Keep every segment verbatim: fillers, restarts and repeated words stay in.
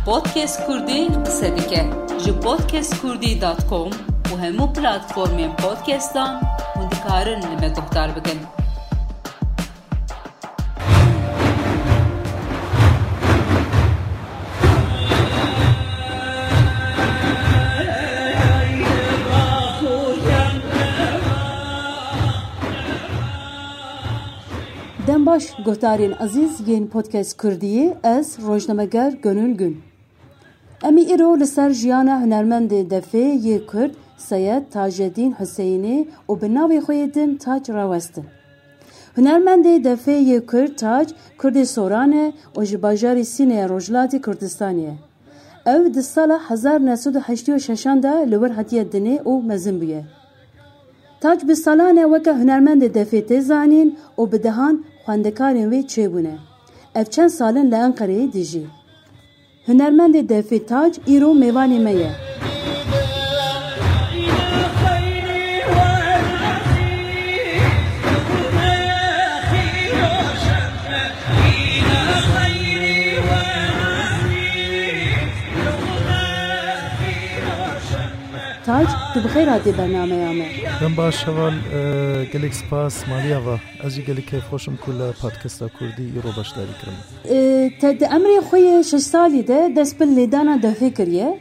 Podcast Kurdî qise dike. Ji podcast kurdî dot com û hemû platformên podcastan hûn dikarin li me guhdar bikin. Dem baş, guhdarên ezîz yên Podcast Kurdiyê, ez rojnameger Gönül Gün. Em ê îro li ser jiyana hunermendê defê yê Kurd Seyed Tajedîn Huseyinê û bi navê xwe yê din Tac rawestin. Hunermendê defê yê Kurd Tac, Kurdê Soran e û ji bajarê Sînê ya Rojhilatê Kurdistanê ye. Ew di sala hezar neh sed û heştê û şeşan de li wir hatiye dinê û mezin bûye. Tac bi salan e weke hunermendê defê tê zanîn û bi dehan xwendekarên wê çêbûne. Ev çend sal in li Enqereyê dijî. Hunermendê defê Tac îro mêvanê me ye. Tac, tu bi xêr hatî bernameya me. Dem baş heval, e, gelek spas, maliya va. Ez jî gelek keyfxweş im ku li Podcasta Kurdî îro beşdarî kirim. E, te di emrê xwe yê şeş salî de dest bi lêdana defê kiriye.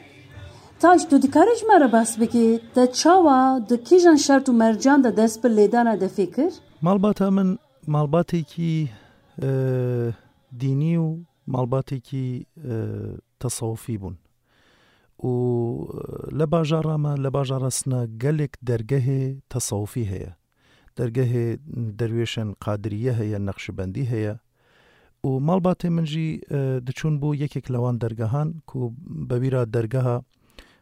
Tac, tu dikarî ji me re behs bikî, te çawa, di kîjan şert û mercan de dest bi lêdana defê kir? Malbata min malbatekî, e, dînî û malbatekî, e, tesewufî bûn. Û, e, li bajara me, li bajara Sina gelek dergehê tesewufî heye. Dergehê derwêşên Qadiriyê heye, Neqşibendî heye. Û malbatê min jî, e, diçûn bo yekek li wan dergehan ku bi wî re dergeha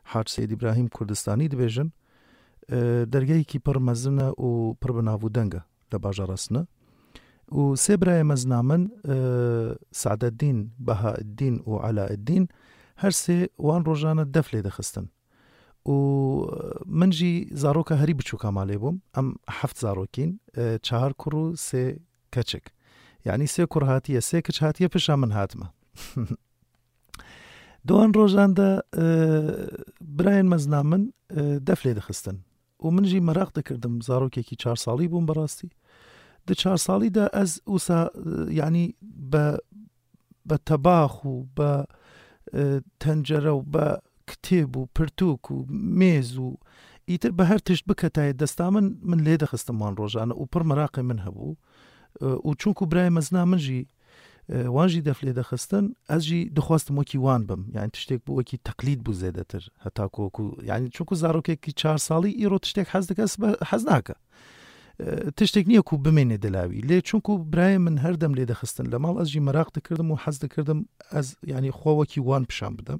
Hac Seyîd Îbrahîm Kurdistanî dibêjin. E, dergehekî pir mezin e û pir bi nav û deng e li bajara Sina. Û sê birayê mezina min, e, Sadeddîn, Behaeddîn û Elaeddîn, her sê wan rojane def lê dixistin. Û, e, min jî zaroka herî biçûka malê bûm. Em heft zarokîn, e, çahar kur û sê keçik. Yanî sê kur hatiye, sê kiç hatiye, pişa min hatime. Di wan rojan de, e, birayên mezina min, e, def lê dixistin. Û min jî meraq dikirdim, zarokekî çar salî bûm bi rastî. Di çar salî de ez wisa, e, yanî be, be tebax û be, e, tencere û be kitêb û pirtûk û mêz û îtir be her tişt biketayê desta min, min lê dixistim wan rojane û pir meraqê min hebû. E, û çunku birayê mezina min jî, e, wan jî def lê dixistin, ez jî dixwestim wekî wan bim. Yani tiştek bû wekî teqlîd bû zêdetir. Heta ku, ku, yani çunku zarokekî çar salî îro tiştek hez dike, sibe hez nake. E, tiştek niye ku bimêne dila wî. Lê çunku birayê min her dem lê dixistin li mal, ez jî meraq dikirdim û hez dikirdim ez, yani xwe wekî wan pişan bidim.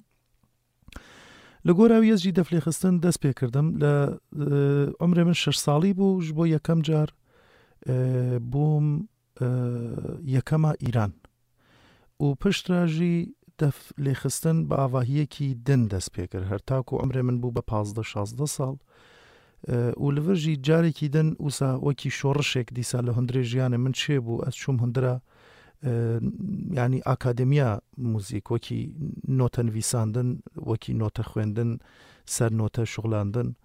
Li gora wî ez jî def lê xistin dest pê kirdim. Li, e, umrê min şeş salî bû, ji bo yekem car, e, bûm, e, yekema Îran. Û piştre jî def lê xistin bi avahiyekî din dest pê kir. Her ta ku umrê min bû be pazdeh şazdeh sal. E, û li vir jî carekî din wisa wekî şorişek dîsa li hundirê jiyanê min çêbû. Ez çûm hundira, e, yanî akademiya muzîk, wekî note nivîsandin, wekî note xwendin, ser note şuxlandin.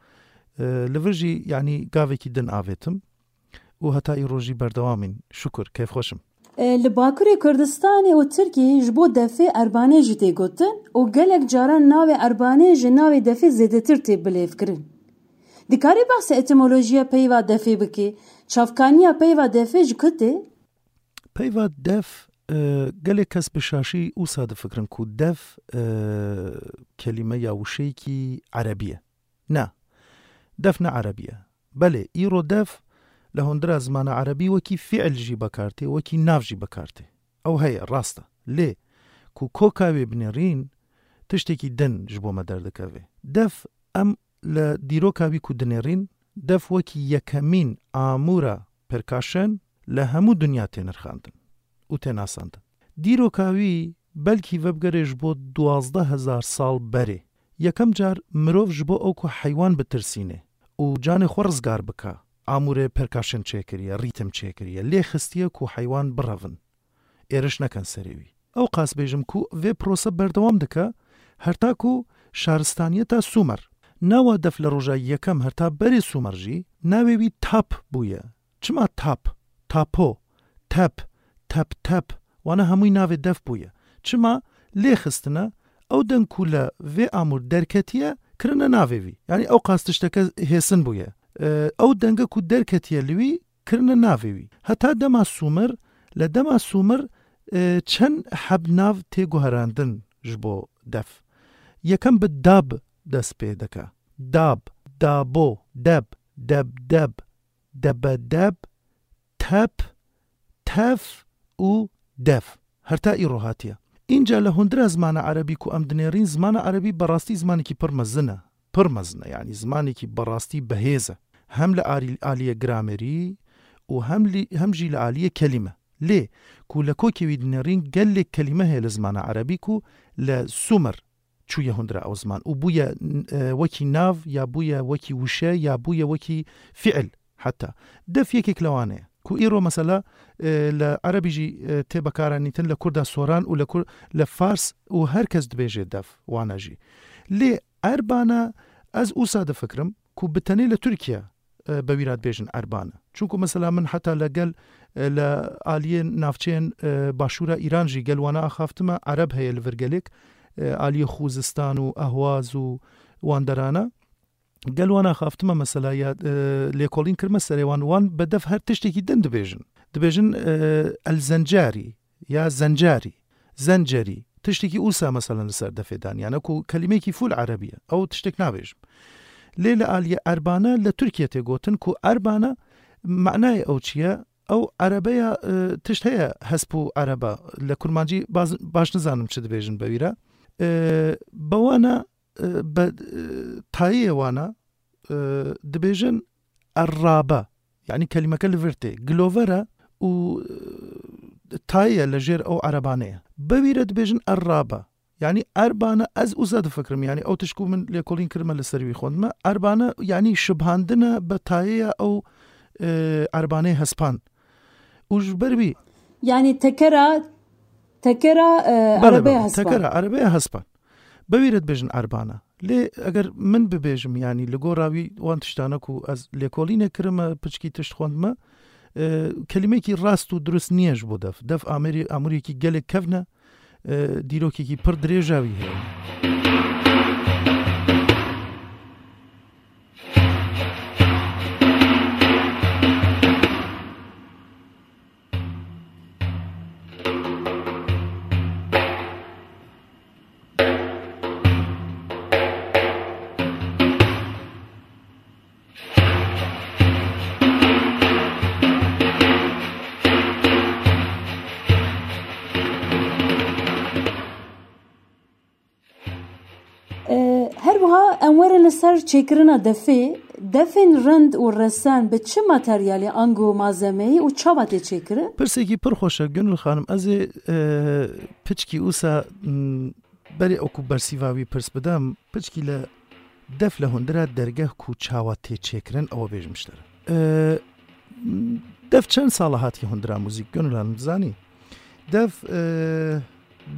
E, li vir jî, yanî gavekî din avêtim û heta îro jî berdewam in. Şukur, keyfxweş im. E, li Bakurê Kurdistanê û Tirkiyê ji bo defê erbanêjî tê gotin û gelek caran navê erbanêj ji navê defê zêdetir tê bilêvkirin. Dikarî behsê etimolojiya peyva defê bikî? Çavkaniya peyva defê ji ku tê? Peyva def, e, gelek kes bi şaşî wisa difikirin ku def, e, kelîme ya wişeyekî erebî ye. Na, def ne erebî ye. Belê, îro def li hundira zimana erebî wekî fiil jî bekar tê, wekî nav jî bekar tê. Ew heye, rast e. Lê ku koka wê binêrîn, tiştekî din ji bo me derdikeve. Def, em li dîroka wî ku dinêrîn, def wekî yekemîn amûra perkaşen li hemû dinya tê nirxandin û tê nasandin. Dîroka wî belkî vebigere ji bo duwazdeh hezar sal berê. Yekem car mirov ji bo ew ku heywan bitirsîne û canê xwe rizgar bike, amûrê perkaşin çêkiriye, rîtim çêkiriye, lê xistiye ku heywan birevin, êriş nekin serê wî. Ew qas bêjim ku vê prose berdewam dike, Herta ku şaristaniyeta Sumer. Nawa def le roja yekem herta berê Sumer jî navê wî tap bûye. Çima tap, tapo, tep, tep tep, wana hemûyî navê def bûye. Çima lê xistine, ew deng ku le vê amûr derketiye, kirine navê wî. Yanî ew qas tişteke hêsin bûye. E, ew denge ku derketiye li wî, kirine navê wî. Heta dema Sumer, le dema Sumer, e, çend heb nav tê guherandin ji bo def. Yekem bi dab dest pê dike. Dab, dabo, deb, debdeb, debedeb, tep, tef û def. Herta îro hatiye. Înca le hundira zimana erebî ku em dinêrîn, zimana erebî berastî zimanekî pir mezin e. Pir mezin e, yanî zimanekî berastî behêz e. Hem li alî-, aliyê gramerî û hem lî-, hem jî li aliyê kelîme. Lê ku le kokê wî dinêrîn, gelek kelîme heye li zimana erebî ku le Sumer çûye hundira ew ziman û bûye, e, wekî nav, ya bûye wekî wişe, ya bûye wekî fiil heta. Def yekek li wan e. Ku îro mesela, e, li erebî jî, e, tê bekaranîtin, li kurda soran û li kur-, li fars û her kes dibêje def wana jî. Lê erbana ez ûsa difikirim ku bi tenê li Tirkiye, e, bi wî re dibêjin erbane. Çunku mesela min heta li gel, e, li aliyê navçeyên, e, başûra Îran jî gel wana axaftime, ereb heye li vir gelek, e, aliyê Xûzistan û Ehwaz û wan derana. Gel wana xaftime mesela ya, e, lêkolîn kirme serê wan, wan bi def her tiştekî din dibêjin. Dibêjin, e, el zencarî ya zencarî, zencerî. Tiştekî ûsa mesela li ser defê dan. Yani ku kelimeyekî full erebî ye. Ew tiştek nabêjim. Lê li aliyê erbane li Tirkiye tê gotin ku erbane manayê ew çi ye? Ew erebeya, e, tişt heye hesp û ereba. Li kurmancî baz-, baş nizanim çi dibêjin be wî re. E, be wana e, be, e, tayê wana, e, dibêjin errabe. Yanî kelîmeke li vir tê. Gilover e û, e, tayê ye li jêr ew erebane ye. Be wî re dibêjin errabe. Yanî erbane ez uza difikirim. Yanî ew tişt ku min lêkolîn kirime li ser wî xwendime. Erbane yanî şibhandine be tayê ye ew, e, erbaneyê hespan. Û ji ber wî Yanî tekera, tekera, e, Bele, erebeya bele. Hespan. Tekera erebeya hespan. Be wî re dibêjin erbana. Lê eger min bibêjim, yanî li gora wî wan tiştane ku ez lêkolînê kirime, piçkî tişt xwendime, e, kelîmekî rast û dirust niye ji bo def. Def amêrî-, amûriyekî gelek kevn e, e, dîrokekî pir dirêja wî heye. E, her wiha em werin li ser çêkirina defê. Defên rind û resen bi çi materyalê, ango malzemeyê û çawa tê çêkirin? Pirsekî pir xweş e, Gönül Xanim. Ez ê, e, piçkî wisa, m, berê ew ku bersîva wî pirs bidim, piçkî li def li hundira dergeh ku çawa tê çêkirin, ew bêjim ji te re. E, def çend sala hatiye hundira muzîk, Gönül Hanım, dizanî? Def, e,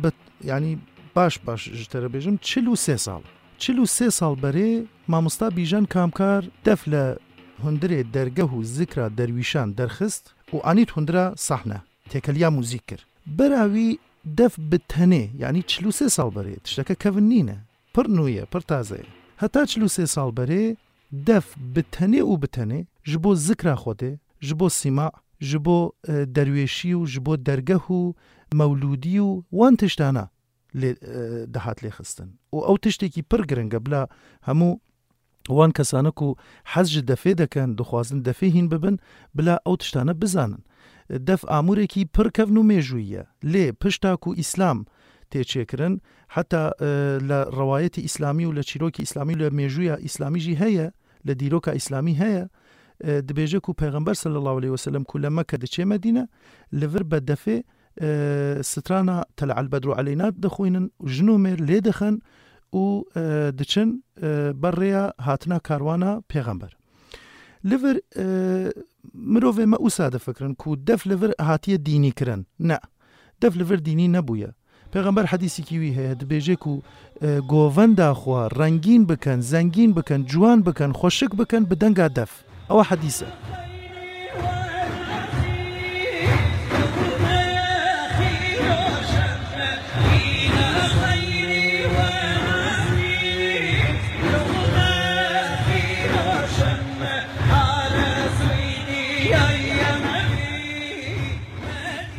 bi, yanî baş baş ji te re bêjim, çil û sê sal. Çil û sê sal berê mamosta Bîjan Kamkar def li hundirê dergeh û zikra derwîşan derxist û anît hundira sahne, têkeliya muzîk kir. Bera wî def bi tenê, yanî çil û sê sal berê, tişteke kevin nîne. Pir nû ye, pir taze ye. Heta çil û sê sal berê def bi tenê û bi tenê ji bo zikra Xwedê, ji bo sîma, ji bo, e, derwêşî û ji bo dergeh û mewlûdî û wan tiştana lê, e, dihat lêxistin. Û ew tiştekî pir giring e bila hemû wan kesane ku hez ji defê dikin, dixwazin defê hîn bibin, bila ew tiştane bizanin. Def amûrekî pir kevn û mêjûyî ye. Lê pişta ku Îslam tê çêkirin, heta, e, li rewayetê Îslamî û li çîrokê Îslamî û li mêjûya Îslamî jî heye, li dîroka Îslamî heye, e, dibêje ku Pêxember sallallahu aleyhi ve sellem ku li Mekke diçê Medîne, li vir be defê, e, strana Tele el Bedru Aleyna dixwînin, jin û mêr lê dixin û, e, diçin, e, ber rêya hatina karwana Pêxember. Li vir, e, mirovê me wisa difikirin ku def li vir hatiye dînî kirin. Ne. Def li vir dînî nebûye. Pêxember hedîsîkî wî heye, dibêje ku, e, govenda xwe rengîn bikin, zengîn bikin, ciwan bikin, xweşik bikin bi denga def. Ewa hedîs e.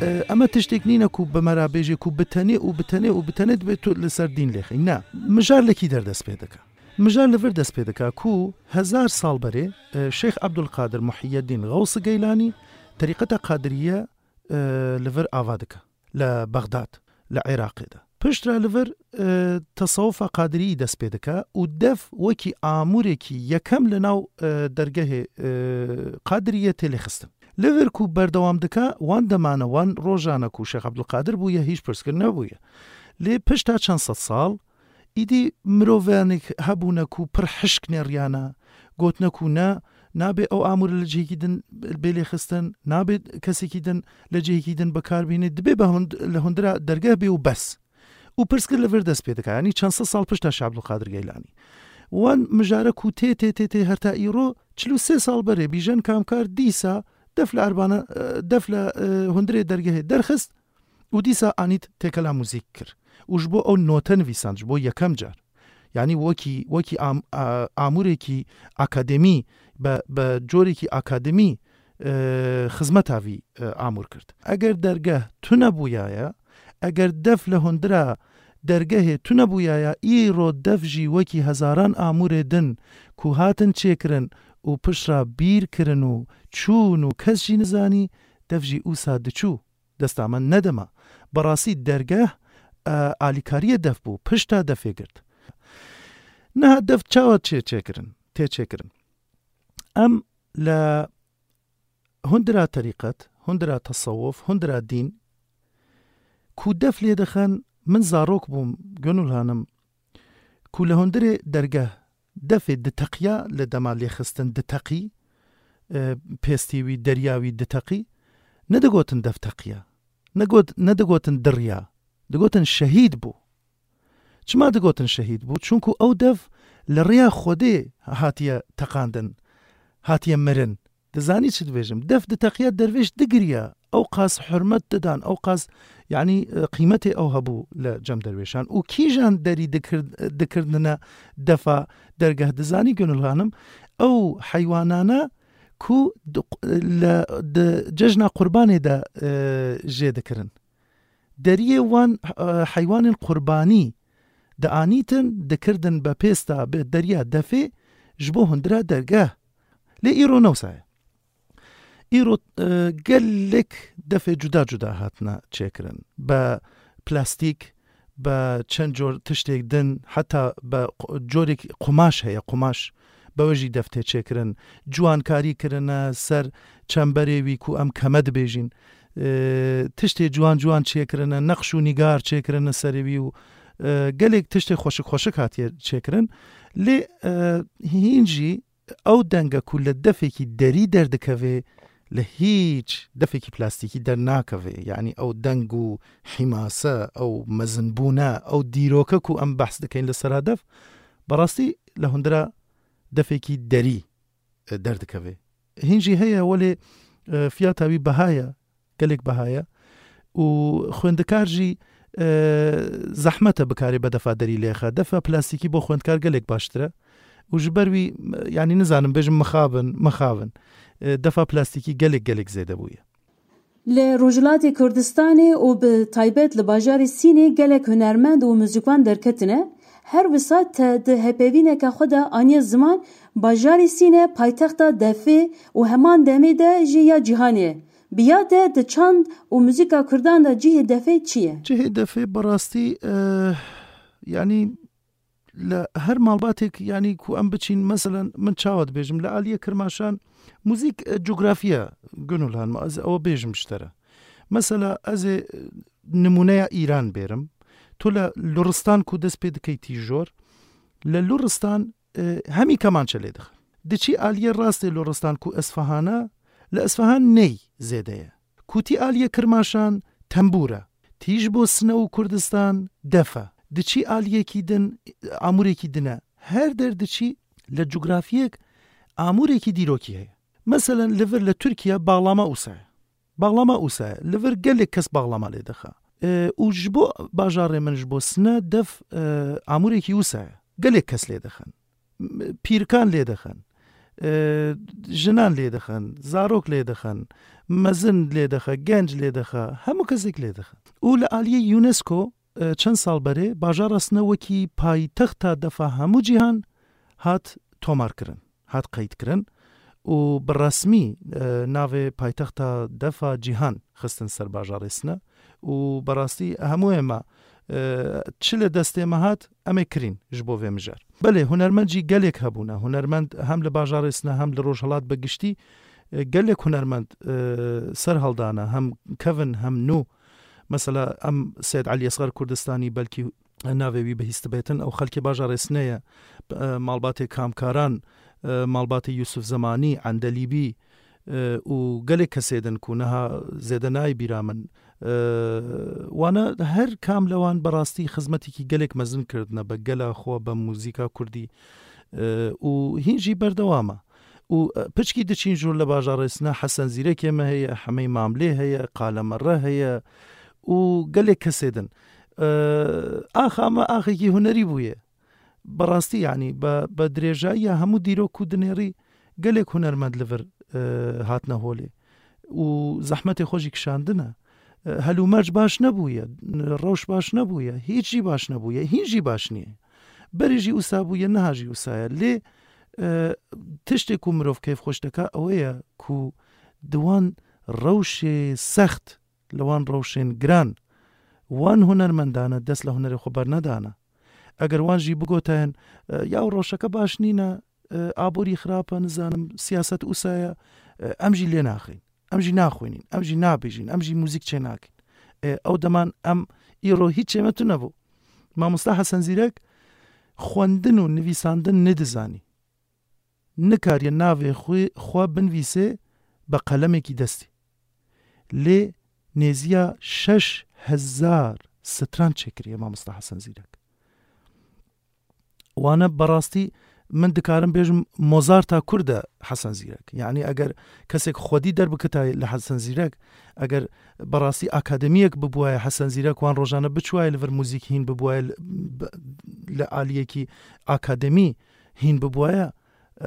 E, eme tiştek nîne ku bi me re bêje ku bi tenê û bi tenê û bi tenê dibê tu li ser dîn lêxî. Ne, mijar li kî der dest pê dike? Mijar li vir dest pê dike ku hezar sal berê, e, Şeyh Abdulkadir Muhyiddin Xewsi Geylani terîqeta Qadiriye, e, li vir ava dike. Li Bexdad, li Iraqê de. Piştre li vir, e, tesewufa Qadiriyî dest pê dike û def wekî amûrekî yekem li nav, e, dergehê, e, Qadiriyê tê lêxistin. Li vir ku berdewam dike, wan demane, wan rojane ku Şêx Abdulkadir bûye, hîç pirsgir nebûye. Lê pişta çend sed sal, îdî mirovanek hebûne ku pir hişk nêriyane, gotine ku ne, nabe ew amûre li cihekî din bê lêxistin, nabe kesekî din li cihekî din bi kar bîne, dibê bi hund-, li hundira dergeh bê û bes. Û pirsgir li vir dest pê dike, yanî çend sed sal pişta Şêx Abdulkadir Geylanî. Wan mijare ku tê, tê, tê, tê, her ta îro, çil û sê sal berê bîjen kamkar dîsa def li erbana, e, def li, e, hundirê dergehê derxist û dîsa anît têkela muzîk kir. Û ji bo ew note nivîsand, ji bo yekem car. Yanî wekî, wekî am-, a-, amûrekî akademî, be, be corekî akademî, e, xizmeta vî, e, amûr kir. Eger dergeh tune bûyaye, eger def li hundira dergehê tune bûyaye, îro def jî wekî hezaran amûrê din ku hatin çêkirin û piştre bîr kirin û çûn û kes jî nizanî, def jî ûsa diçû. Desta me nedema. Berastî dergeh, e, alîkariyê def bû, pişta defê girt. Niha def çawa çê çêkirin, tê çêkirin? Em li hundira terîqet, hundira tesewuf, hundira dîn ku def lê dixin, min zarok bûm, Gönül Hanim, ku li hundirê dergeh defê diteqiya, li dema lêxistin diteqî, e, pêstî wî, deriya wî diteqî, nedigotin def teqiya, negot-, nedigotin diriya, digotin şehîd bû. Çima digotin şehîd bû? Çunku ew def li rêya Xwedê hatiye teqandin, hatiye mirin. Dizanî çi dibêjim? Def diteqiya, dervêş digiriya. Ew qas hurmet didan, ew qas, yanî, e, qîmetê ew hebû li cem dervêşan. Û kîjan derî dikir-, dikirdine defa dergeh, dizanî Gönül Hanim? Ew heywanana ku di, li, di cejna qurbanê de, e, jê dikirin. Deriyê wan, e, heywanên qurbanî dianîtin, dikirdin be pêsta, be deriya defê ji bo hundira dergeh. Lê îro ne wisa ye. Îro, e, gelek defê cuda cuda hatine çêkirin. Be plastîk, be çend cor tiştêk din, heta be qu-, corek qumaş heye, qumaş. Be we jî def tê çêkirin. Ciwankarî kirine ser çemberê wî ku em keme dibêjin. E, tiştê ciwan ciwan çêkirine, neqş û nîgar çêkirine serê wî û, e, gelek tiştê xweşik xweşik hatiye çêkirin. Lê, e, hîn jî ew denge ku li defekî derî derdikeve, li hîç defekî plastîkî dernakeve. Yanî ew deng û hîmase, ew mezinbûne, ew dîroke ku em behs dikeyn li sera def, berastî li hundira defekî derî, e, derdikeve. Hîn jî heye, welê, e, fiyata wî beha ye, gelek beha ye. Û xwendikar jî, e, zehmet e bikarê be defa derî lêxe. Defa plastîkî bo xwendikar gelek baştir e. Û ji ber wî, e, yanî nizanim bêjim mixabin, mixabin. E, defa plastîkî gelek, gelek zêde bûye. Li Rojhilatê Kurdistanê û bi taybet li bajarê Sînê gelek hunermend û muzîkwan derketine. Her wisa te di hepevîneke xwe de aniye ziman, bajarê Sîne paytexta defê û heman demê de jî ya cîhanê ye. Bi ya te di çand û muzîka kurdan de cihê defê çi ye? Cihê defê bi rastî, eh, yanî li her malbatek, yanî ku em biçîn, meselen, min çawa dibêjim, li aliyê Kirmaşan muzîk, e, cografiya Gönül Hanım, ez ew bêjim ji te re. Mesela, ez ê, e, nimûneya Îran bêrim. Tu li Luristan ku dest pê dikey tîjor, li Luristan, e, hemî kemançe lê dixin. Diçî aliyê rastê Luristan ku Esfahana, li Esfahan ney zêde ye. Ku tî aliyê Kirmaşan tembûr e. Tî ji bo sine û Kurdistan def e. Diçî aliyekî din, amûrekî din e. Her der diçî li cografiyek amûrekî dîrokî heye. Meselen, li vir li Tirkiye bağlama ûsa ye. Bağlama ûsa ye. Li vir gelek kes bağlama lê dixe. E, û ji bo bajarê min, ji bo sine def, e, amûrekî ûsa ye. Gelek kes lê dixin. M-, pîrkan lê dixin. E, jinan lê dixin. Zarok lê dixin. Mezin lê dixe. Genc lê dixe. Hemû kesek lê dixin. Û li aliyê UNESCO, e, çend sal berê bajara sine wekî paytexta defa hemû cîhan hat tomarkirin, hat qeydkirin û bi resmî, e, navê paytexta defa cîhan xistin ser bajarê sine û berastî hemû ême, e, çi li destê me hat, em ê kirîn ji bo vê mijar. Belê, hunermend jî gelek hebûne. Hunermend hem li bajarê sine hem li Rojhilat bi giştî, e, gelek hunermend, e, ser heldane, hem kevin hem nû. Mesela em Seyed Elî Esxer Kurdistanî belkî navê wî bihîst bêtin. Ew xelkê bajarê sine ye. E, malbatê Kamkaran, e, malbatê Yusuf Zemanî, Endelîbî, e, û gelek kesê din ku niha zêde nayê bîra min. E, wana her kam li wan berastî xizmetekî gelek mezin kirdine, be gela xwe, be muzîka kurdî. E, û hîn jî berdewam e. Û, e, piçkî diçîn jûr li bajarê sine, Hesen Zîrekê me heye, Hemey Mamlê heye, Qale Merre heye û gelek kesê din. E, axa me axekî hunerî bûye. Bi rastî, yanî, bi, bi dirêjayiya hemû dîrok ku dinêrî, gelek hunermend li vir, e, hatine holê û zehmetê xwe jî kişandine. E, helûmerc baş nebûye, rewş baş nebûye, hîç jî baş nebûye, hîn jî baş niye. Berê jî wisa bûye, niha jî wisa ye. Lê, e, tiştê ku mirov kêfxweş dike, ew ê ye ku di wan rewşê sext, li wan rewşên giran, wan hunermendane dest li hunerê xwe bernedane. Eger wan jî bigotayin, e, ya rewşeke baş nîne, e, aborî xirab e, nizanim, siyaset wisa ye, e, em jî lê naxin. Em jî naxwînin, em jî nabêjin, em jî muzîk çênakin. E, ew deman em îro hîç çê me tune bû. Mamosta Hesen Zîrek xwendin û nivîsandin nedizanî. Nikariye navê xwe, xwe binivîsê bi qelemekî destî. Lê nêziya şeş hezar stran çêkiriye Mamosta Hesen Zîrek. Wane berastî, min dikarim bêjim, Mozarta Kurd e Hesen Zîrek. Yanî eger kesek xwedî derbikitayê li Hesen Zîrek, eger berastî akademiyek bibûwaye Hesen Zîrek, wan rojane biçûwaye li vir muzîk hîn bibûwaye li, bi, li aliyekî akademî hîn bibûwaye,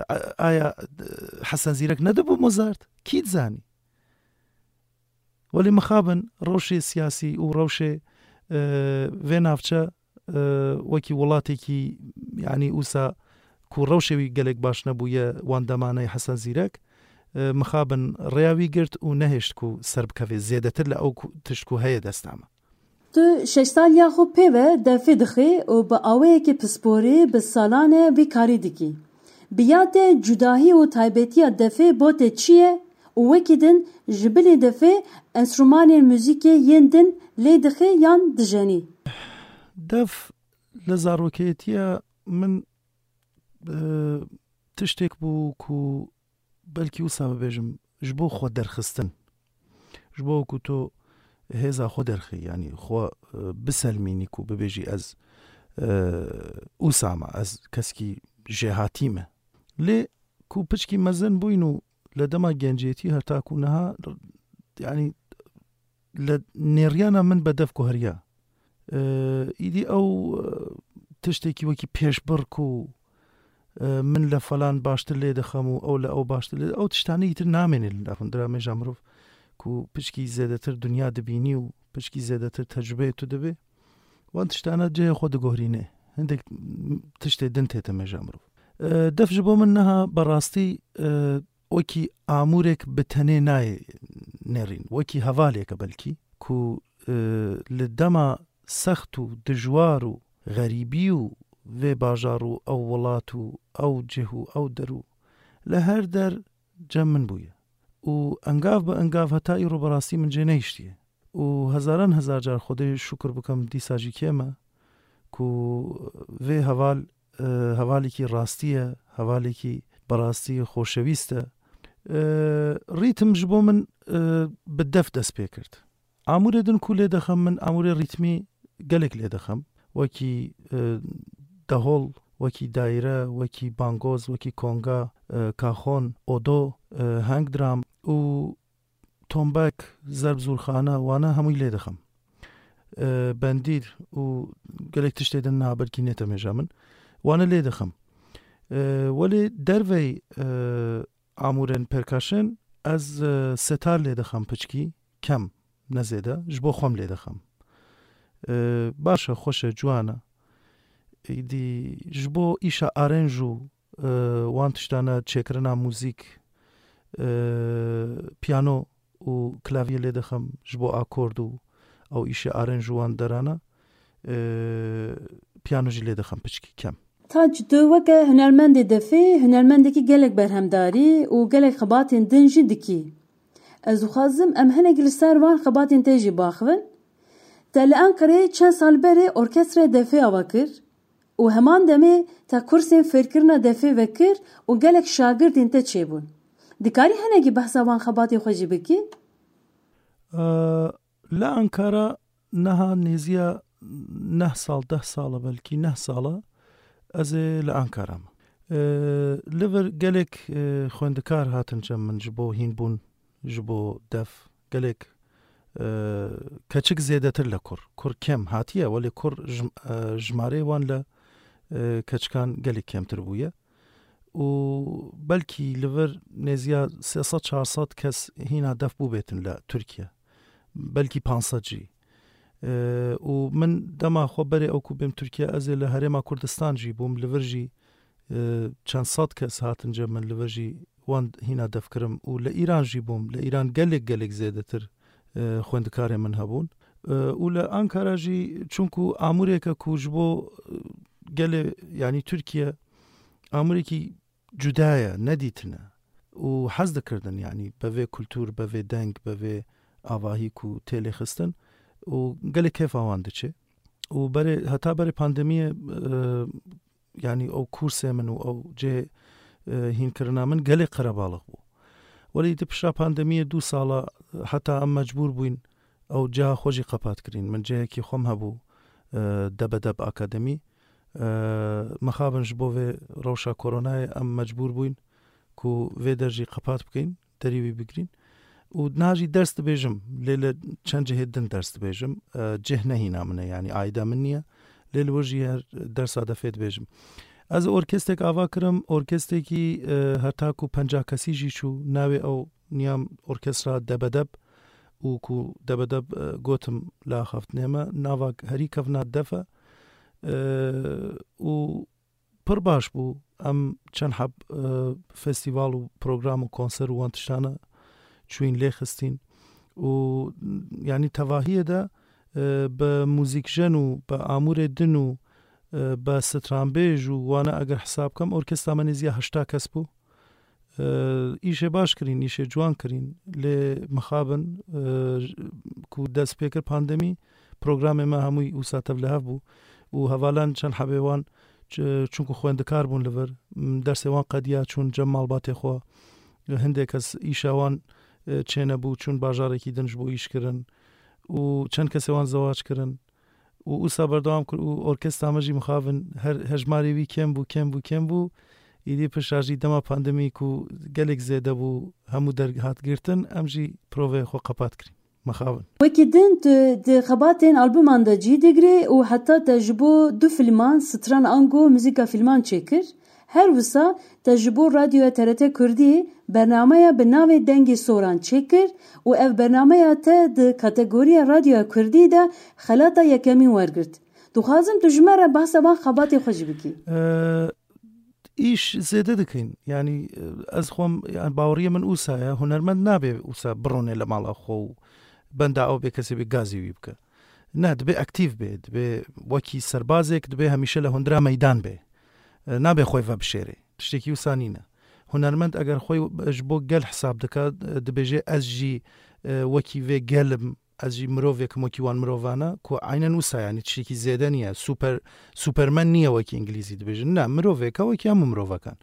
a-, aya, e, Hesen Zîrek nedibû Mozart? Kî dizanî? Welê mixabin rewşê siyasî û rewşê, e, vê navçe, e, wekî welatekî, yanî wisa ku rewşê wî gelek baş nebûye wan demanê Hesen Zîrek, e, mixabin rêya wî girt û nehêşt ku serbikeve zêdetir li ew ku, tişt ku heye desta me. Tu şeş saliya xwe pê ve defê dixwî û bi awayekî pisporî bi salan e vî karî dikî. Bi ya te cudahî û taybetiya defê bo te çi ye û wekî din ji bilî defê enstrûmanên muzîkê yên din lê dixî yan dijenî? Def li zarokeyetiya min, e, tiştek bû ku belkî wisa bibêjim, ji bo xwe derxistin. Ji bo ku tu hêza xwe derxî, yanî xwe, e, biselmînî ku bibêjî ez, e, wisa me, ez keskî jêhatî me. Lê ku piçkî mezin bûyn û li dema gencêtî heta ku niha, yanî li nêriyana min bi def guheriya. E, îdî ew, e, tiştekî wekî pêşbir ku, e, min li falan baştir lê dixem û ew li ew baştir lê, ew tiştanê îtir namêne li nav hundira mêja mirov ku piçkî zêdetir dinya dibînî û piçkî zêdetir tecrubeyê tu dibê. Wan tiştana cihê xwe diguherîne. Hindek tiştê din tête mêja mirov. E, def ji bo min niha berastî, e, wekî amûrek bi tenê nayê nêrîn, wekî hevalêke belkî ku, e, li dema sext û dijwar û xerîbî û vê bajar û ew welat û ew cih û ew der û li her der cem min bûye. Û engav bi engav heta îro berastî min cê nehiştiye. Û hezaran hezar car Xwedê şukir bikim dîsa jî kêm e ku vê heval, e, hevalekî rastî ye, hevalekî berastî xoşewîst e. E, rîtim ji bo min, e, bi def dest pê kir. Amûrê din ku lê dixim, min amûrê rîtmî gelek lê dixim. Wekî, e, dehol, wekî daîre, wekî bangoz, wekî konga, e, kaxon, odo, e, heng dram û tombek, zerb zûrxane, wana hemûyî lê dixim. E, bendîr û gelek tiştê din niha belkî nêtemêja min. Wana lê dixim. E, welê dervey, e, amûrên percussion ez, e, setar lê dixim piçkî, kem, ne zêde, ji bo xwe lê dixim. E, baş e, xweş e, ciwan e. Îdî ji bo îşa arenj û, e, wan tiştane, çêkirina muzîk, e, piyano û klavye lê dixim ji bo akord û ew îşê arenj û wan derana, e, piyano jî lê dixim piçkî kem. Tac, tu weke hunermendê defê, hunermendekî gelek berhemdarî û gelek xebatên din jî dikî. Ez dixwazim em hinekî li ser van xebatên te jî baxivin. Te li Enqereyê çend sal berê orkestraya defê ava kir û heman demê te kursên fêrkirina defê vekir û gelek şagirdên te çêbûn. Dikarî hinekî behsa van xebatê xwe jî bikî? E, li Ankara niha nêziya neh sal, deh sal e, belkî neh sal e, ez ê li Ankara me. E, li vir gelek, e, xwendikar hatin cem min ji bo hînbûn, ji bo def. Gelek, e, keçik zêdetir le kur. Kur kem hatiye, welê kur jim-, e, jimarê wan le, e, keçikan gelek kemtir bûye. Û belkî li vir nêziya sê sed çar sed kes hîna def bûbêtin le Tirkiye. Belkî panc sed jî. E, û min dema xwe berê ew ku bêm Tirkiye, ez ê li Herêma Kurdistan jî bûm, li vir jî, e, çend sed kes hatin cem min, li vir jî wan hîna def kirim û li Îran jî bûm. Li Îran gelek, gelek zêdetir, e, xwendikarê min hebûn. E, û li Ankara jî, çunku amûreke ku ji bo, e, gelê, yanî Tirkiye, amûrekî cuda ye, nedîtine. Û hez dikirdin, yanî be vê kultûr, be vê deng, be vê avahî ku tê lêxistin û gelek kêfa wan diçe. Û berê, heta berê pandemiyê, e, yanî ew kursê min û ew cihê, e, hînkirina min gelek qerebalix bû. Welê di pişta pandemiyê du sala, e, heta em mecbûr bûyn ew ciha xwe jî qepat kirîn. Min cihekî xwe m hebû, e, Debedeb Akademî. E, mixabin ji bo vê rewşa koronayê em mecbûr bûyn ku vê der jî qepat bikeyn, derî wî bigirîn. Û niha jî ders dibêjim, lê li çend cihê din ders dibêjim. E, cih ne hîna min e, yanî aîda min niye. Lê li wir jî her dersa defê dibêjim. Ez orkestek ava kirim, orkestekî, e, heta ku penca kesî jî çû, navê ew niyam orkestra Debedeb û ku Debedeb, e, gotim li axaftinê me, nava herî kevna def e. E, û pir baş bû. Em çend heb, e, festîval û program û konser û wan tiştane çûyîn lê xistîn. Û, yanî tevahiyê de, e, bi muzîkjen û bi amûrê din û, e, bi stranbêj û wana eger hesab kem, orkestra me nêzî ya heşta kes bû. E, îşê baş kirîn, îşê ciwan kirîn. Lê mixabin, e, ku dest pê kir pandemî, programê me hemûyî wisa tevlihev bû. Û hevalan çend hebê wan, ç-, çunku xwendikar bûn li vir, m, dersê wan qediya, çûn cem malbatê xwe. Hindê kes îşa wan, e, çênebû, çûn bajarekî din ji bo îş kirin. Û çend kesê wan zewac kirin. Û wisa berdewam kir û orkestra me jî mixabin her hejmarê wî kêm bû, kêm bû, kêm bû. Îdî pişta jî dema pandemî ku gelek zêde bû, hemû derhat girtin, em jî proveyê xwe qepat kirîn. Mixabin. Wekî din tu di xebatên albuman de cî digirî û heta te ji bo du filman, stran ango muzîka filman çêkir. Her wisa te ji bo radyoya T R T Kurdî bernameya bi navê Dengê Soran çêkir û ev bernameya te di kategoriya radyoya Kurdî de xelata yekemîn wergirt. Dixwazim tu ji me re behsa van xebatê xwe jî bikî. Ee, îş zêde dikin. Yanî, e, ez xwem, yani, baweriyê min wisa ye. Hunermend nabe wisa birone li mala xwe û benda ew bê kesê bê gazî wî bike. Ne, dibe aktîv bê, dibe wekî serbazek, dibe hemîşe li hundira meydan bê. E, nabe xwe vebişêrê. Tiştekî wisa nîne. Hunermend eger xwe ji bo gel hesab dike, e, dibêje, ez jî, e, wekî vê gel im, ez jî mirovek im wekî wan mirovana, ku aynen wisa, yani, tiştekî zêde niye. Super, Superman niye wekî îngilîzî dibêjin. Ne, mirovek e wekî hemû mirovekan.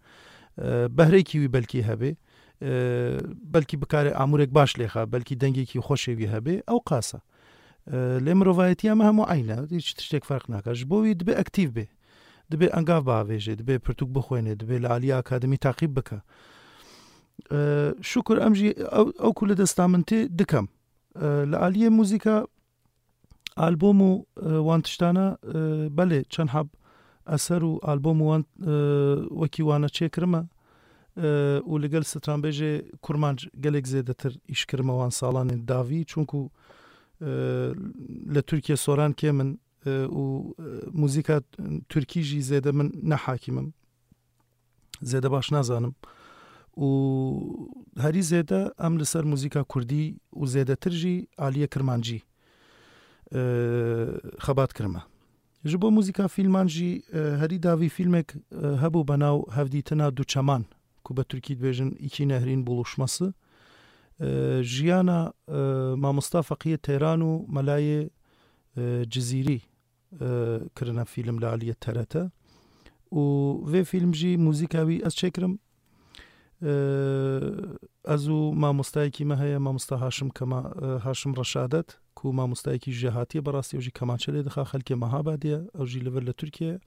E, behrêkî wî belkî hebe. e, belkî bikare amûrek baş lêxa, belkî dengekî xweşê wî hebe, ew qasa. E, lê mirovayetiya me hemû eyn e, hiç tiştek ferq nake. Ji bo wî dibe aktîv be, dibe engav biavêje, dibe pirtûk bixwêne, dibe li aliyê akademî taqîb bike. E, şukur em jî ew, ew ku li desta min tê dikem. E, li aliyê muzîka albûm û, e, wan tiştana, e, belê çend heb eser û albûm û wan, e, wekî wana çêkirime, e, û li gel stranbêjê kurmanc gelek zêdetir îş kirime wan salanên dawî, çunku, e, li Tirkiye soran kêm in, e, û, e, muzîka tirkî jî zêde min ne hakîm im. Zêde baş nazanim. Û herî zêde em li ser muzîka kurdî û zêdetir jî aliyê kirmancî, e, xebat kirime. Ji bo muzîka fîlman jî, e, herî dawî fîlmek, e, hebû be nav Hevdîtina Du Çeman, ku be tirkî dibêjin Îkî Nehrîn Buluşması. E, jiyana, e, mamosta Feqiyê Teyran û Melayê, e, Cizîrî, e, kirine fîlm li aliyê T R T. Û vê fîlm jî muzîka wî ez çêkirim. E, ez û mamostayekî me heye, mamosta Haşim Kema-, e, Haşim Reşadet, ku mamostayekî jêhatî ye, berastî ew jî kemançe lê dixa, xelkê Mehabadê ye, ew jî li vir li Tirkiye ye.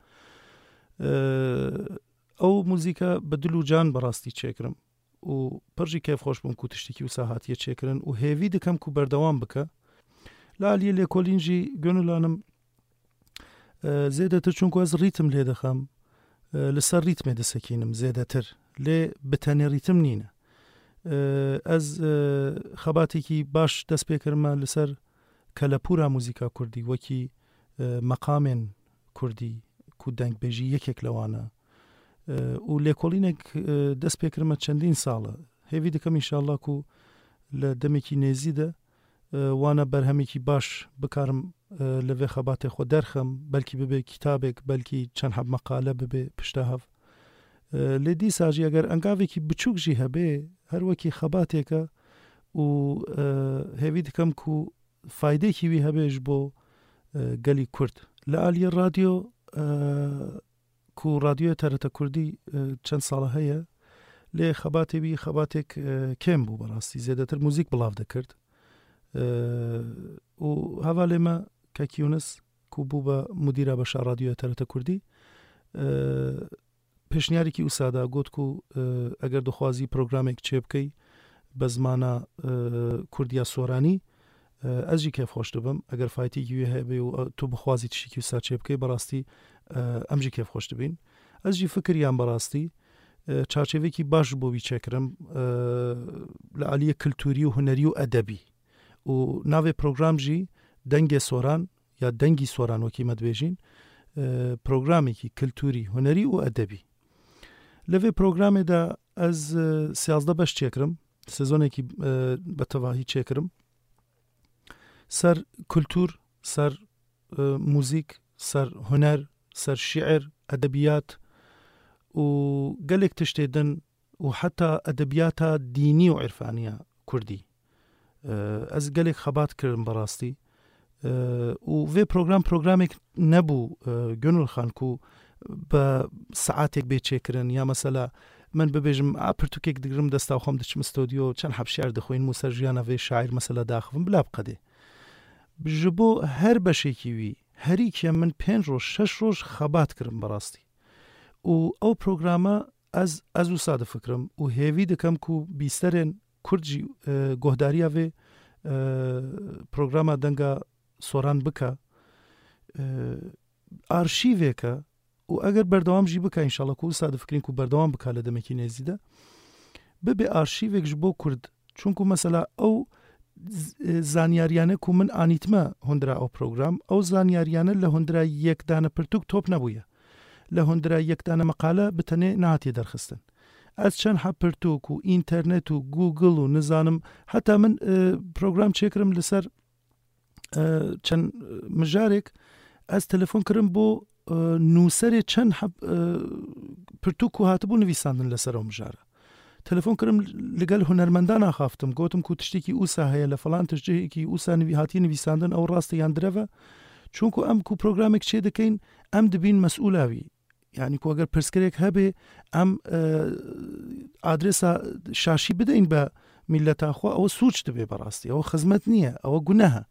E, ew muzîka bi dil û can berastî çêkirim û pir jî kêfxweş bûm ku tiştekî wisa hatiye çêkirin û hêvî dikim ku berdewam bike. Li aliyê lêkolîn jî Gönül Hanım, e, zêdetir çunku ez rîtim lê dixem, e, li ser rîtmê disekînim zêdetir. Lê bi tenê rîtim nîne. E, ez, e, xebatekî baş dest pê kirime li ser kelepûra muzîka kurdî, wekî, e, meqamên kurdî ku dengbêjî yekek li wan e. E, û lêkolînek, e, dest pê kirime çendîn sal e. Hêvî dikim înşallah ku li demekî nêzî de, e, wana berhemekî baş bikarim, e, li vê xebatê xwe derxim, belkî bibe kitabek, belkî çend heb meqale bibe pişta hev. E, lê dîsa jî eger engavekî biçûk jî hebe, her wekî xebateke û, e, hêvî dikim ku faydekî wî hebe ji bo, e, gelî Kurd. Li aliyê radyo, e, ku radyoya T R T Kurdî, e, çend sala heye, lê xebatê wî xebatek, e, kêm bû berastî. Zêdetir muzîk bilav dikird. E, û hevalê me Kek Yûnis, ku bû be mudîra beşa radyoya T R T Kurdî, e, pêşniyarîkî wisa da, got ku, e, eger dixwazî programek çêbikey be zimana, e, Kurdiya Soranî, e, ez jî kêfxweş dibim. Eger faytîkî wî hebe û, e, tu bixwazî tiştekî wisa çêbikey, berastî, e, em jî kêfxweş dibîn. Ez jî fikiriyam berastî, e, çarçevekî baş ji bo wî çêkirim, e, li aliyê kulturî û hunerî û edebî. Û navê program jî Dengê Soran ya Dengî Soran wekî me dibêjîn, e, programekî kulturî, hunerî û edebî. Li vê programê de ez, e, siyazdeh beş çêkirim, sezonekî, e, be tevahî çêkirim. Ser kultur, ser, e, muzîk, ser huner, ser şiir, edebiyat û gelek tiştê din û heta edebiyata dînî û irfaniya kurdî. E, ez gelek xebat kirim berastî. E, û vê program programek nebû, e, Gönül Xan, ku bi saetek bê çêkirin ya mesela min bibêjim, a, pirtûkek digirim desta xwe, em diçim stûdyo, çend heb şiir dixwînim û ser jiyana vê şair mesela daxivim, bila biqedê. Ji bo her beşekî wî herî kêm min pênc roj, şeş roj xebat kirim berastî. Û ew programa ez, ez wisa difikirim û hêvî dikim ku bîsterên Kurd jî, e, guhdariya vê, e, programa Denga Soran bike, e, arşîveke û eger berdewam jî bike, înşallah ku wisa difikirîn ku berdewam bike li demekî nêzî de, bibe arşîvek ji bo Kurd. Çunku mesela ew z-, e, zanyariyane ku min anîtme hundira ew program, ew zanyariyane li hundira yek dane pirtûk top nebûye. Li hundira yek dane meqale bi tenê nehatiye derxistin. Ez çend heb pirtûk û înternet û Google û nizanim, heta min, e, program çêkirim li ser, e, çend, e, mijarek, ez telefon kirim bo, e, nûserê çend heb, e, pirtûk ku hatibû nivîsandin li ser ew mijara. Telefon kirim, li gel hunermendan axaftim, gotim ku tiştekî ûsa heye, li falan tiştekî ûsa nivî-, hatiye nivîsandin, ew rast e yan direv e. Çunku em ku programek çê dikeyn, em dibîn mesûla wî. Yanî ku eger pirsgirêk hebe, em, e, adresa şaşî bideyin be mîleta xwe, ew sûc dibe berastî. Ew xizmet niye, ew guneh e.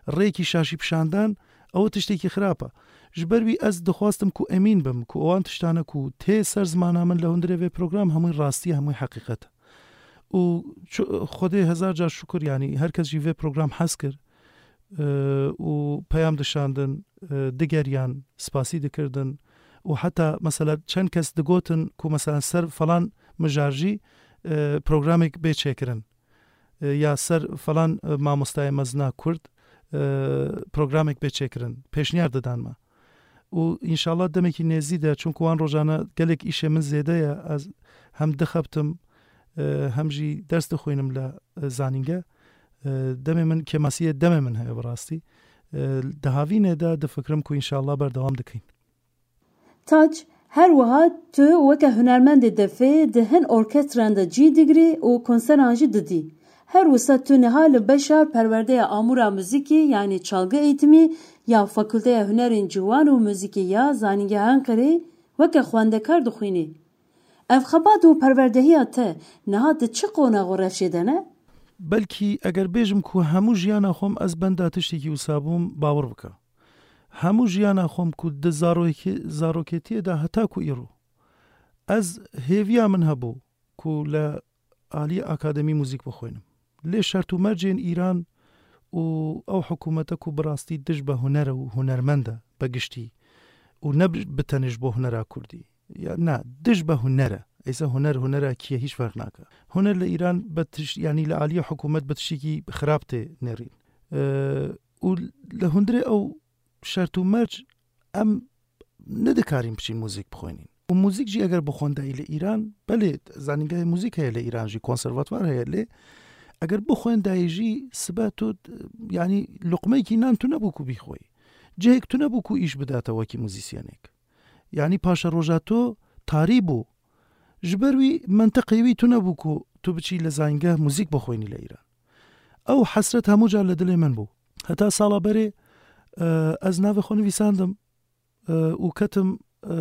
Rêkî şaşî pişandan, ew tiştekî xirab e. Ji ber wî ez dixwastim ku emîn bim ku ewan tiştane ku tê ser zimana min li hundirê vê program hemû rastî, hemû heqîqet e. Û çu-, Xwedê hezar car şukir, yanî her kes jî vê program hez kir, e, û peyam dişandin, e, digeriyan, spasî dikirdin û heta mesela çend kes digotin ku mesela ser falan mijar jî, e, programek bê çêkirin, e, ya ser falan, e, mamostayê mezina Kurd, e, programek bê çêkirin. Pêşniyar didan me. Û înşallah demekî nêzî de, çunku wan rojane gelek îşê min zêde ye, ez hem dixebtim, e, hem jî ders dixwînim li, e, zanînge. E, demê min kêmasiyê demê min heye bi rastî. E, di havînê de difikirim ku înşallah berdewam dikin. Tac, her wiha tu weke hunermendê defê di hin orkestran de cî digirî û konseran jî didî. Her wisa tu niha li beşa perwerdeya amûra muzîkî, yanî çalgı eğitimi, ya Fakulteya Hunerên Ciwan û Muzîkî ya Zanîngeha Enqerê weke xwendekar dixwînî. Ev xebat û perwerdehiya te niha di çi qonax û rewşê de ne? Belkî eger bêjim ku hemû jiyana xwe ez benda tiştekî wisa bûm, bawer bike. Hemû jiyana xwe ku di zarokê-, zarokêtiyê de heta ku îro, ez hêviya min hebû ku li aliyê akademî muzîk bixwînim. Lê şert û mercên Îran û ew hikûmete ku bi rastî dij be huner e û hunermend e be giştî û ne bi, bi tenê ji bo hunera kurdî. Ya, na, dij be huner e. Eyse huner, hunera kî ye, hîç ferq nake. Huner li Îran be tiş-, yanî li aliyê hikûmet bi tiştekî xirab tê nêrîn. E, û li hundirê ew şert û merc em nedikarîn biçîn muzîk bixwînîn. Û muzîk jî eger bixwendayî li Îran, belê zanîngehê muzîk heye li Îran jî, konservatwar heye lê, eger bixwendayî jî sibe tu, yanî luqmeyekî nan tu nebû ku bîxweyî. Cihek tu nebû ku îş bidate wekî muzîsyenek. Yanî paşeroja tu tarî bû. Ji ber wî mentiqê wî tu nebû ku tu biçî li zanîngeh muzîk bixwînî li Îran. Ew hesret hemû car li dilê min bû. Heta sala berê, e, ez navê xwe nivîsandim, e, û ketim, e,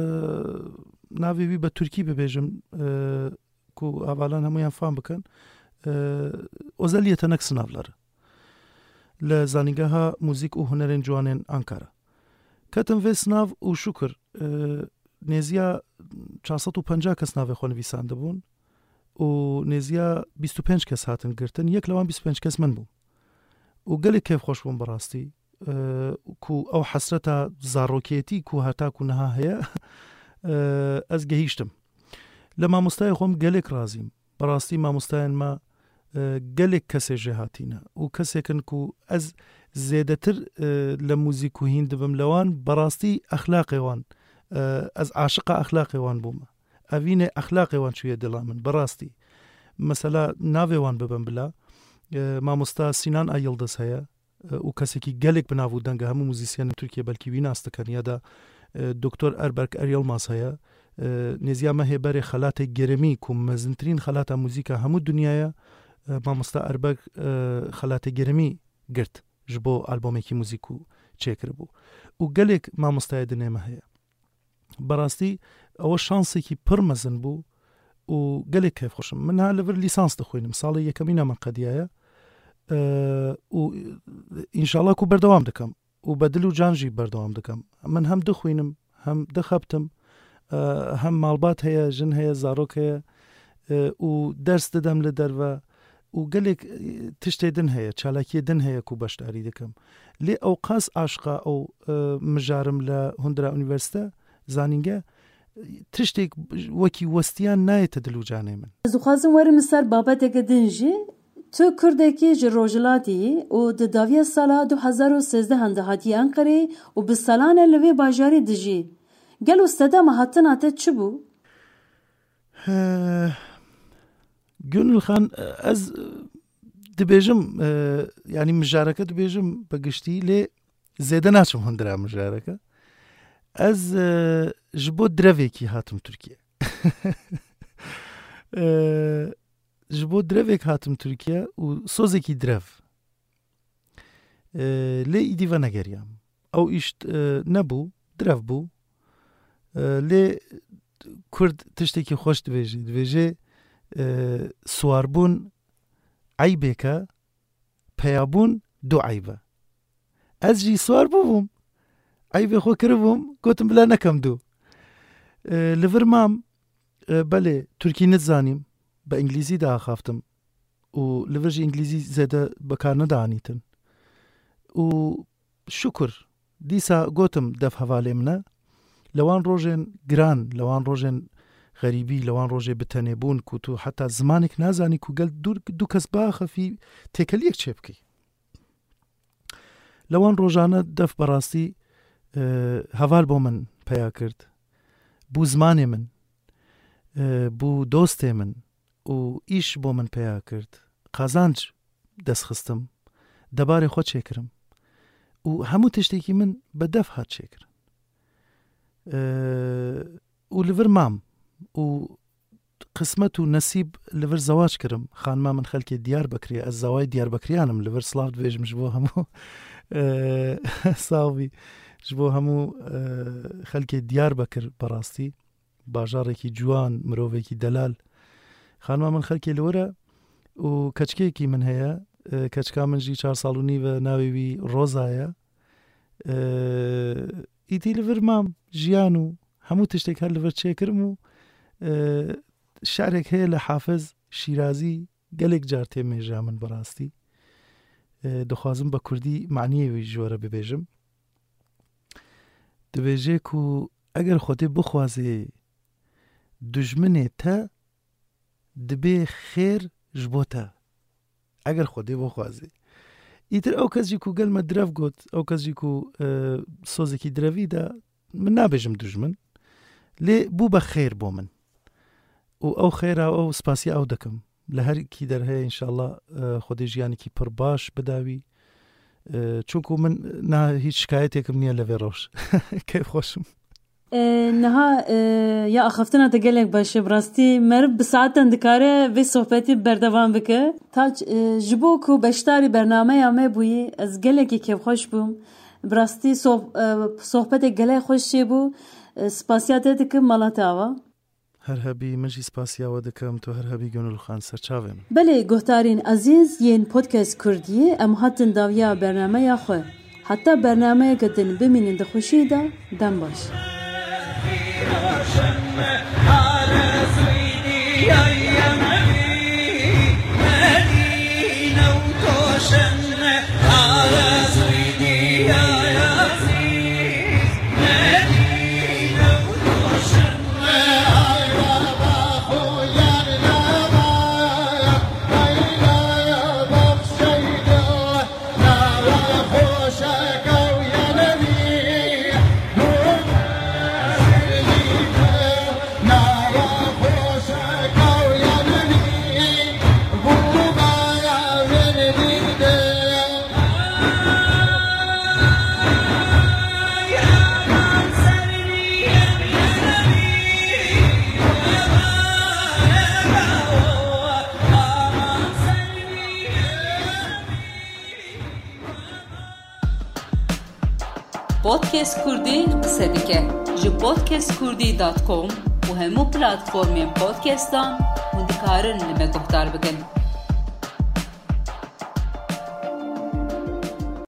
navê wî bi tirkî bibêjim, e, ku hevalan hemûyan fam bikin. E, Özel Yetenek Sınavları. Li Zanîngeha Muzîk û Hunerên Ciwanên Ankara. Ketim vê sinav û şukir, e, nêziya çar sed û penca kes navê xwe nivîsandibûn û nêziya bîst û pênc kes hatin girtin. Yek li wan bîst û pênc kes min bû. Û gelek kêfxweş bûm bi rastî, e, ku ew hesreta zarokêtî ku heta ku niha heye, e, ez gehîştim. Li mamostayê xwe em gelek razîm. Bi rastî mamostayên me, e, gelek kesê jêhatî ne û kesêk in ku ez zêdetir, e, li muzîk û hîn dibim li wan, bi rastî exlaqê wan, e, ez aşiqa exlaqê wan bûme. Evînê exlaqê wan çûye dila min, bi rastî. Mesela navê wan bibim bila, e, mamosta Sînan A Yildiz heye, e, û kesekî gelek bi nav û deng e, hemû muzîsyenên Tirkiyê belkî wî nas dikin, ya da, e, Doktor Erberk Er Yilmaz heye. E, nêziya mehê berê xelatê Geremî ku mezintirîn xelata muzîka hemû dinyaya, e, mamosta Erberk, e, xelatê Geremî girt ji bo albomekî muzîk ku çêkiribû. Û gelek mamostayê dinê me heye. Berastî ew şansekî pir mezin bû û gelek kêfxweş im. Min niha li vir lîsans dixwînim. Salê yekemîna min qediyaye. Eee, û înşallah ku berdewam dikim. Û be dil û can jî berdewam dikim. Min hem dixwînim, hem dixebtim, eee, hem malbat heye, jin heye, zarok heye, eee, û ders didem li derve. Û gelek, eee, tiştê din heye, çalakiyê din heye ku beşdarî dikim. Lê ew qas aşqa ew, eee, mijarim li hundira unîversîte, zanînge, tiştek wekî westiyan nayête dil û canê min. Ez dixwazim werim li ser babeteke din jî. Tu Kurdekî ji Rojhilatê yî û di dawiya sala du hezar û sêzdeh de hatî Enqerê û bi salan e li vê bajarê dijî. Gelo sedema hatina te çi bû? He, Gönül Xan, ez dibêjim, e, yanî mijareke dibêjim bi giştî, lê zêde naçim hundira mijareke. Ez, e, ji bo direvekî hatim Tirkiye. E, ji bo direvek hatim Tirkiye û sozekî direv. E, lê îdî venegeriyam. Ew îş, e, nebû, direv bû. E, lê Kurd tiştekî xweş dibêje. Dibêje, e, siwarbûn eybêke, peyabûn du eyb e. Ez jî siwar bûbûm. Eybê xwe kiribûm, gotim bila nekem du. E, li vir mam, e, belê, Tirkî nizanîm, bi Îngilîzî diaxaftim. Û li vir jî Îngilîzî zêde bi kar nedianîtin. Û şukur, dîsa gotim def hevalê min e. Li wan rojên giran, li wan rojên xerîbî, li wan rojê bi tenê bûn ku tu heta zimanek nazanî ku gel du, du kes biaxifî têkeliyek çêbikî. Li wan rojane def berastî, e, heval bo min peya kir. Bû zimanê min, e, bû dostê min û îş bo min peya kir. Qazanc dest xistim, debarê xwe çêkirim û hemû tiştekî min bi def hat çêkirin. E, û li vir mam û qismet û nesîb li vir zewac kirim. Xanima min xelkê Diyarbekirê, ez zawayê Diyarbekiriyan im, li vir silav dibêjim ji bo hemû, e, sax bî, ji bo hemû, e, xelkê Diyarbekir berastî. Bajarekî ciwan, mirovekî delal. Xanima min xelkê li wir e û keçikekî min heye. E, keçika min jî çar sal û nîv e, navê wî Roza ye. E, îtî li vir mam, jiyan û hemû tiştek her li vir çêkirim û, e, şerek heye li Hafiz Şîrazî gelek car tê mêja min bi rastî. E, dixwazim bi kurdî maniyê wî ji we re bibêjim. Dibêje ku eger Xwedê bixwaze, dijminê te dibê xêr ji bo te. Eger Xwedê bixwaze. Îtir ew kes jî ku gel me direv got, ew kes jî ku, e, sozekî direvî de, min nabêjim dijmin, lê bû be xêr bo min. Û ew xêra ew spasiya ew dikim. Li her kî derheye înşallah, e, Xwedê jiyanekî pir baş bida wî. E, çunku min niha hîç şikayetekim niye li vê roj. Keyfxweş im. E, niha, e, ya axaftina te gelek baş e, bi rastî meriv bi saetan dikare vê sohbetî berdewam bike. Taç, e, ji bo ku beşdarî bernameya me bûyî, ez gelekî kêfxweş bûm. Bi rastî soh-, e, sohbetê gelek xweş çêbû. E, spasiya te dikim, mala te ava. Her hebî, min jî spasiya we dikim, tu her hebî Gönül Xan, ser çavê min. Belê, guhdarên ezîz yên Podcast Kurdiyê, em hatin dawiya bernameya xwe. Heta bernameyeke din bimînin di xweşiyê de, dem baş. Podcast Kurdî qise dike. Ji podcast kurdî dot com û hemû platformên podcastan hûn dikarin li me guhdar bikin.